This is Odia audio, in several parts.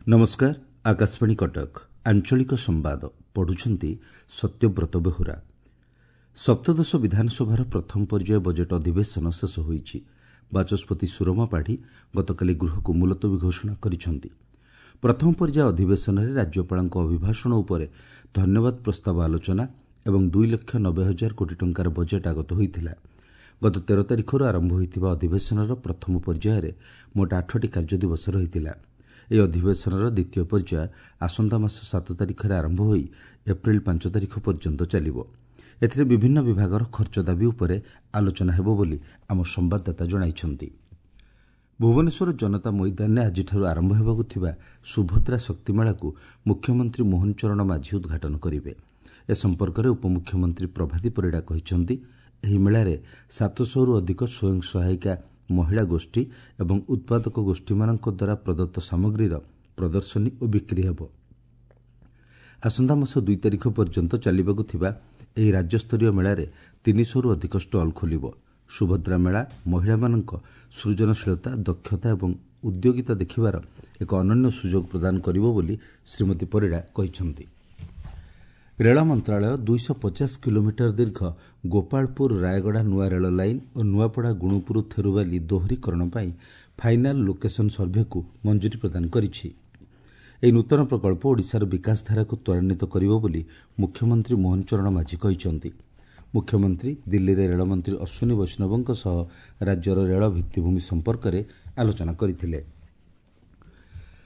ନମସ୍କାର, ଆକାଶବାଣୀ କଟକ। ଆଞ୍ଚଳିକ ସମ୍ବାଦ ପଢୁଛନ୍ତି ସତ୍ୟବ୍ରତ ବେହୁରା। ସପ୍ତଦଶ ବିଧାନସଭାର ପ୍ରଥମ ପର୍ଯ୍ୟାୟ ବଜେଟ୍ ଅଧିବେଶନ ଶେଷ ହୋଇଛି। ବାଚସ୍ପତି ସୁରମା ପାଢ଼ୀ ଗତକାଲି ଗୃହକୁ ମୁଲତବୀ ଘୋଷଣା କରିଛନ୍ତି। ପ୍ରଥମ ପର୍ଯ୍ୟାୟ ଅଧିବେଶନରେ ରାଜ୍ୟପାଳଙ୍କ ଅଭିଭାଷଣ ଉପରେ ଧନ୍ୟବାଦ ପ୍ରସ୍ତାବ ଆଲୋଚନା ଏବଂ 2,90,000 କୋଟି ଟଙ୍କାର ବଜେଟ୍ ଆଗତ ହୋଇଥିଲା। ଗତ 13 ତାରିଖରୁ ଆରମ୍ଭ ହୋଇଥିବା ଅଧିବେଶନର ପ୍ରଥମ ପର୍ଯ୍ୟାୟରେ ମୋଟ 8ଟି କାର୍ଯ୍ୟଦିବସ ରହିଥିଲା। ଏହି ଅଧିବେଶନର ଦ୍ୱିତୀୟ ପର୍ଯ୍ୟାୟ ଆସନ୍ତା ମାସ 7 ତାରିଖରେ ଆରମ୍ଭ ହୋଇ ଏପ୍ରିଲ 5 ତାରିଖ ପର୍ଯ୍ୟନ୍ତ ଚାଲିବ। ଏଥିରେ ବିଭିନ୍ନ ବିଭାଗର ଖର୍ଚ୍ଚ ଦାବି ଉପରେ ଆଲୋଚନା ହେବ ବୋଲି ଆମ ସମ୍ବାଦଦାତା ଜଣାଇଛନ୍ତି। ଭୁବନେଶ୍ୱର ଜନତା ମଇଦାନରେ ଆଜିଠାରୁ ଆରମ୍ଭ ହେବାକୁ ଥିବା ସୁଭଦ୍ରା ଶକ୍ତିମେଳାକୁ ମୁଖ୍ୟମନ୍ତ୍ରୀ ମୋହନ ଚରଣ ମାଝୀ ଉଦ୍ଘାଟନ କରିବେ। ଏ ସମ୍ପର୍କରେ ଉପମୁଖ୍ୟମନ୍ତ୍ରୀ ପ୍ରଭାତୀ ପରିଡ଼ା କହିଛନ୍ତି, ଏହି ମେଳାରେ 700ରୁ ଅଧିକ ସ୍ୱୟଂ ସହାୟିକା ମହିଳା ଗୋଷ୍ଠୀ ଏବଂ ଉତ୍ପାଦକ ଗୋଷ୍ଠୀମାନଙ୍କ ଦ୍ୱାରା ପ୍ରଦତ୍ତ ସାମଗ୍ରୀର ପ୍ରଦର୍ଶନୀ ଓ ବିକ୍ରି ହେବ। ଆସନ୍ତା ମାସ 2 ତାରିଖ ପର୍ଯ୍ୟନ୍ତ ଚାଲିବାକୁ ଥିବା ଏହି ରାଜ୍ୟସ୍ତରୀୟ ମେଳାରେ 300ରୁ ଅଧିକ ଷ୍ଟଲ୍ ଖୋଲିବ। ସୁଭଦ୍ରା ମେଳା ମହିଳାମାନଙ୍କ ସୃଜନଶୀଳତା, ଦକ୍ଷତା ଏବଂ ଉଦ୍ୟୋଗିତା ଦେଖିବାର ଏକ ଅନନ୍ୟ ସୁଯୋଗ ପ୍ରଦାନ କରିବ ବୋଲି ଶ୍ରୀମତୀ ପରିଡ଼ା କହିଛନ୍ତି। ରେଳ ମନ୍ତ୍ରଣାଳୟ 250 କିଲୋମିଟର ଦୀର୍ଘ ଗୋପାଳପୁର ରାୟଗଡ଼ା ନୂଆ ରେଳ ଲାଇନ୍ ଓ ନୂଆପଡ଼ା ଗୁଣୁପୁର ଥେରୁବାଲି ଦୋହରୀକରଣ ପାଇଁ ଫାଇନାଲ୍ ଲୋକେସନ୍ ସର୍ଭେକୁ ମଞ୍ଜୁରୀ ପ୍ରଦାନ କରିଛି। ଏହି ନୂତନ ପ୍ରକଳ୍ପ ଓଡ଼ିଶାର ବିକାଶଧାରାକୁ ତ୍ୱରାନ୍ୱିତ କରିବ ବୋଲି ମୁଖ୍ୟମନ୍ତ୍ରୀ ମୋହନ ଚରଣ ମାଝୀ କହିଛନ୍ତି। ମୁଖ୍ୟମନ୍ତ୍ରୀ ଦିଲ୍ଲୀରେ ରେଳମନ୍ତ୍ରୀ ଅଶ୍ୱିନୀ ବୈଷ୍ଣବଙ୍କ ସହ ରାଜ୍ୟର ରେଳ ଭିତ୍ତିଭୂମି ସମ୍ପର୍କରେ ଆଲୋଚନା କରିଥିଲେ।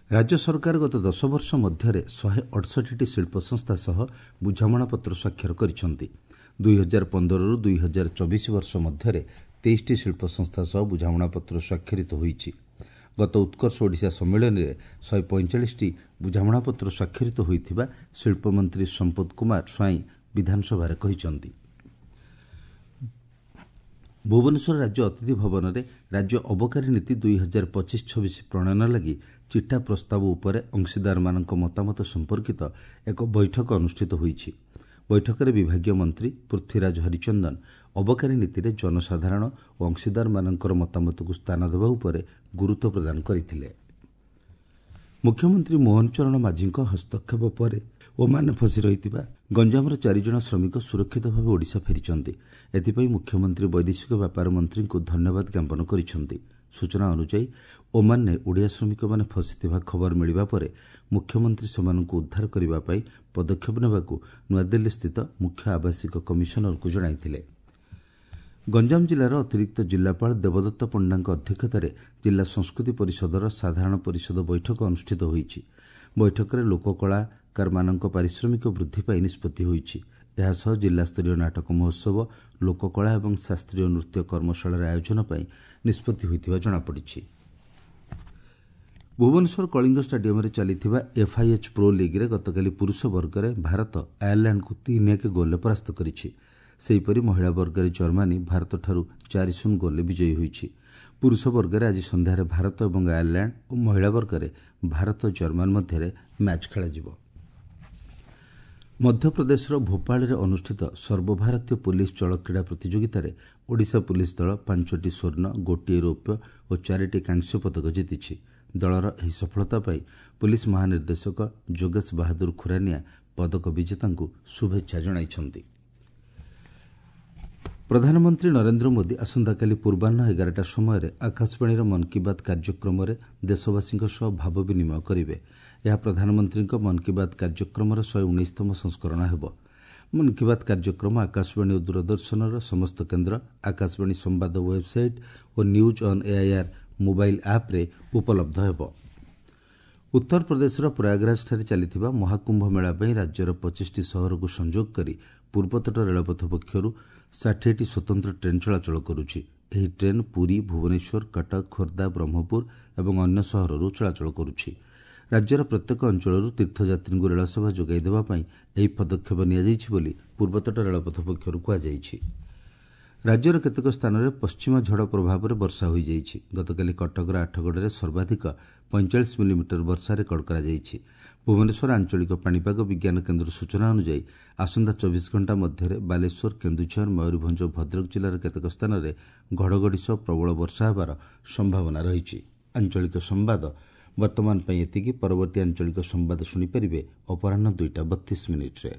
ରାଜ୍ୟ ସରକାର ଗତ 10 ବର୍ଷ ମଧ୍ୟରେ 168ଟି ଶିଳ୍ପ ସଂସ୍ଥା ସହ ବୁଝାମଣାପତ୍ର ସ୍ୱାକ୍ଷର କରିଛନ୍ତି। 2015ରୁ 2024 ବର୍ଷ ମଧ୍ୟରେ 23ଟି ଶିଳ୍ପ ସଂସ୍ଥା ସହ ବୁଝାମଣାପତ୍ର ସ୍ୱାକ୍ଷରିତ ହୋଇଛି। ଗତ ଉତ୍କର୍ଷ ଓଡ଼ିଶା ସମ୍ମିଳନୀରେ 145ଟି ବୁଝାମଣାପତ୍ର ସ୍ୱାକ୍ଷରିତ ହୋଇଥିବା ଶିଳ୍ପମନ୍ତ୍ରୀ ସମ୍ପଦ କୁମାର ସ୍ୱାଇଁ ବିଧାନସଭାରେ କହିଛନ୍ତି। ଭୁବନେଶ୍ୱର ରାଜ୍ୟ ଅତିଥି ଭବନରେ ରାଜ୍ୟ ଅବକାରୀ ନୀତି 2025-26 ପ୍ରଣୟନ ଲାଗି ଚିଠା ପ୍ରସ୍ତାବ ଉପରେ ଅଂଶୀଦାରମାନଙ୍କ ମତାମତ ସମ୍ପର୍କିତ ଏକ ବୈଠକ ଅନୁଷ୍ଠିତ ହୋଇଛି। ବୈଠକରେ ବିଭାଗୀୟ ମନ୍ତ୍ରୀ ପୃଥ୍ୱୀରାଜ ହରିଚନ୍ଦନ ଅବକାରୀ ନୀତିରେ ଜନସାଧାରଣ ଓ ଅଂଶୀଦାରମାନଙ୍କର ମତାମତକୁ ସ୍ଥାନ ଦେବା ଉପରେ ଗୁରୁତ୍ୱ ପ୍ରଦାନ କରିଥିଲେ। ମୁଖ୍ୟମନ୍ତ୍ରୀ ମୋହନ ଚରଣ ମାଝୀଙ୍କ ହସ୍ତକ୍ଷେପ ପରେ ଓମାନରେ ଫସି ରହିଥିବା ଗଞ୍ଜାମର 4 ଜଣ ଶ୍ରମିକ ସୁରକ୍ଷିତ ଭାବେ ଓଡ଼ିଶା ଫେରିଛନ୍ତି। ଏଥିପାଇଁ ମୁଖ୍ୟମନ୍ତ୍ରୀ ବୈଦେଶିକ ବ୍ୟାପାର ମନ୍ତ୍ରୀଙ୍କୁ ଧନ୍ୟବାଦ ଜ୍ଞାପନ କରିଛନ୍ତି। ସୂଚନା ଅନୁଯାୟୀ, ଓମାନରେ ଓଡ଼ିଆ ଶ୍ରମିକମାନେ ଫସିଥିବା ଖବର ମିଳିବା ପରେ ମୁଖ୍ୟମନ୍ତ୍ରୀ ସେମାନଙ୍କୁ ଉଦ୍ଧାର କରିବା ପାଇଁ ପଦକ୍ଷେପ ନେବାକୁ ନୂଆଦିଲ୍ଲୀସ୍ଥିତ ମୁଖ୍ୟ ଆବାସିକ କମିଶନରଙ୍କୁ ଜଣାଇଥିଲେ। ଗଞ୍ଜାମ ଜିଲ୍ଲାର ଅତିରିକ୍ତ ଜିଲ୍ଲାପାଳ ଦେବଦତ୍ତ ପଣ୍ଡାଙ୍କ ଅଧ୍ୟକ୍ଷତାରେ ଜିଲ୍ଲା ସଂସ୍କୃତି ପରିଷଦର ସାଧାରଣ ପରିଷଦ ବୈଠକ ଅନୁଷ୍ଠିତ ହୋଇଛି। ବୈଠକରେ ଲୋକକଳାକାରମାନଙ୍କ ପାରିଶ୍ରମିକ ବୃଦ୍ଧି ପାଇଁ ନିଷ୍ପତ୍ତି ହୋଇଛି। ଏହାସହ ଜିଲ୍ଲାସ୍ତରୀୟ ନାଟକ ମହୋତ୍ସବ, ଲୋକକଳା ଏବଂ ଶାସ୍ତ୍ରୀୟ ନୃତ୍ୟ କର୍ମଶାଳାର ଆୟୋଜନ ପାଇଁ ନିଷ୍ପତ୍ତି ହୋଇଥିବା ଜଣାପଡ଼ିଛି। ଭୁବନେଶ୍ୱର କଳିଙ୍ଗ ଷ୍ଟାଡିୟମରେ ଚାଲିଥିବା ଏଫ୍ଆଇଏଚ୍ ପ୍ରୋ ଲିଗ୍ରେ ଗତକାଲି ପୁରୁଷ ବର୍ଗରେ ଭାରତ ଆୟାରଲ୍ୟାଣ୍ଡକୁ 3-1 ଗୋଲ୍ରେ ପରାସ୍ତ କରିଛି। ସେହିପରି ମହିଳା ବର୍ଗରେ ଜର୍ମାନୀ ଭାରତଠାରୁ 4-0 ଗୋଲ୍ରେ ବିଜୟୀ ହୋଇଛି। ପୁରୁଷ ବର୍ଗରେ ଆଜି ସନ୍ଧ୍ୟାରେ ଭାରତ ଏବଂ ଆୟାରଲ୍ୟାଣ୍ଡ ଓ ମହିଳା ବର୍ଗରେ ଭାରତ ଜର୍ମାନ ମଧ୍ୟରେ ମ୍ୟାଚ୍ ଖେଳାଯିବ। ମଧ୍ୟପ୍ରଦେଶର ଭୋପାଳରେ ଅନୁଷ୍ଠିତ ସର୍ବଭାରତୀୟ ପୁଲିସ୍ ଜଳକ୍ରୀଡ଼ା ପ୍ରତିଯୋଗିତାରେ ଓଡ଼ିଶା ପୁଲିସ୍ ଦଳ 5ଟି ସ୍ୱର୍ଣ୍ଣ, 1 ରୌପ୍ୟ ଓ 4ଟି କାଂସ୍ୟ ପଦକ ଜିତିଛି। ଦଳର ଏହି ସଫଳତା ପାଇଁ ପୁଲିସ୍ ମହାନିର୍ଦ୍ଦେଶକ ଯୋଗେଶ ବାହାଦୁର ଖୁରାନିଆ ପଦକ ବିଜେତାଙ୍କୁ ଶୁଭେଚ୍ଛା ଜଣାଇଛନ୍ତି। ପ୍ରଧାନମନ୍ତ୍ରୀ ନରେନ୍ଦ୍ର ମୋଦି ଆସନ୍ତାକାଲି ପୂର୍ବାହ୍ନ 11ଟା ସମୟରେ ଆକାଶବାଣୀର ମନ୍ କି ବାତ୍ କାର୍ଯ୍ୟକ୍ରମରେ ଦେଶବାସୀଙ୍କ ସହ ଭାବ ବିନିମୟ କରିବେ। ଏହା ପ୍ରଧାନମନ୍ତ୍ରୀଙ୍କ ମନ୍ କି ବାତ୍ କାର୍ଯ୍ୟକ୍ରମର 119ତମ ସଂସ୍କରଣ ହେବ। ମନ୍ କି ବାତ୍ କାର୍ଯ୍ୟକ୍ରମ ଆକାଶବାଣୀ ଓ ଦୂରଦର୍ଶନର ସମସ୍ତ କେନ୍ଦ୍ର, ଆକାଶବାଣୀ ସମ୍ବାଦ website O news on AIR mobile ଆପ୍ରେ ଉପଲବ୍ଧ ହେବ। ଉତ୍ତରପ୍ରଦେଶର ପ୍ରୟାଗରାଜଠାରେ ଚାଲିଥିବା ମହାକୁମ୍ଭ ମେଳା ପାଇଁ ରାଜ୍ୟର 25ଟି ସହରକୁ ସଂଯୋଗ କରି ପୂର୍ବତଟ ରେଳପଥ ପକ୍ଷରୁ 60ଟି ସ୍ୱତନ୍ତ୍ର ଟ୍ରେନ୍ ଚଳାଚଳ କରୁଛି। ଏହି ଟ୍ରେନ୍ ପୁରୀ, ଭୁବନେଶ୍ୱର, କଟକ, ଖୋର୍ଦ୍ଧା, ବ୍ରହ୍ମପୁର ଏବଂ ଅନ୍ୟ ସହରରୁ ଚଳାଚଳ କରୁଛି। ରାଜ୍ୟର ପ୍ରତ୍ୟେକ ଅଞ୍ଚଳରୁ ତୀର୍ଥଯାତ୍ରୀଙ୍କୁ ରେଳସେବା ଯୋଗାଇ ଦେବା ପାଇଁ ଏହି ପଦକ୍ଷେପ ନିଆଯାଇଛି ବୋଲି ପୂର୍ବତଟ ରେଳପଥ ପକ୍ଷରୁ କୁହାଯାଇଛି। ରାଜ୍ୟର କେତେକ ସ୍ଥାନରେ ପଶ୍ଚିମା ଝଡ଼ ପ୍ରଭାବରେ ବର୍ଷା ହୋଇଯାଇଛି। ଗତକାଲି କଟକର ଆଠଗଡ଼ରେ ସର୍ବାଧିକ 45 ମିଲିମିଟର ବର୍ଷା ରେକର୍ଡ କରାଯାଇଛି। ଭୁବନେଶ୍ୱର ଆଞ୍ଚଳିକ ପାଣିପାଗ ବିଜ୍ଞାନ କେନ୍ଦ୍ର ସୂଚନା ଅନୁଯାୟୀ ଆସନ୍ତା 24 ଘଣ୍ଟା ମଧ୍ୟରେ ବାଲେଶ୍ୱର, କେନ୍ଦୁଝର, ମୟୂରଭଞ୍ଜ ଓ ଭଦ୍ରକ ଜିଲ୍ଲାର କେତେକ ସ୍ଥାନରେ ଘଡ଼ଘଡ଼ି ସହ ପ୍ରବଳ ବର୍ଷା ହେବାର ସମ୍ଭାବନା ରହିଛି। ଆଞ୍ଚଳିକ ସମ୍ବାଦ ବର୍ତ୍ତମାନ ପାଇଁ ଏତିକି। ପରବର୍ତ୍ତୀ ଆଞ୍ଚଳିକ ସମ୍ବାଦ ଶୁଣିପାରିବେ ଅପରାହ୍ନ 2ଟା 32 ମିନିଟ୍ରେ।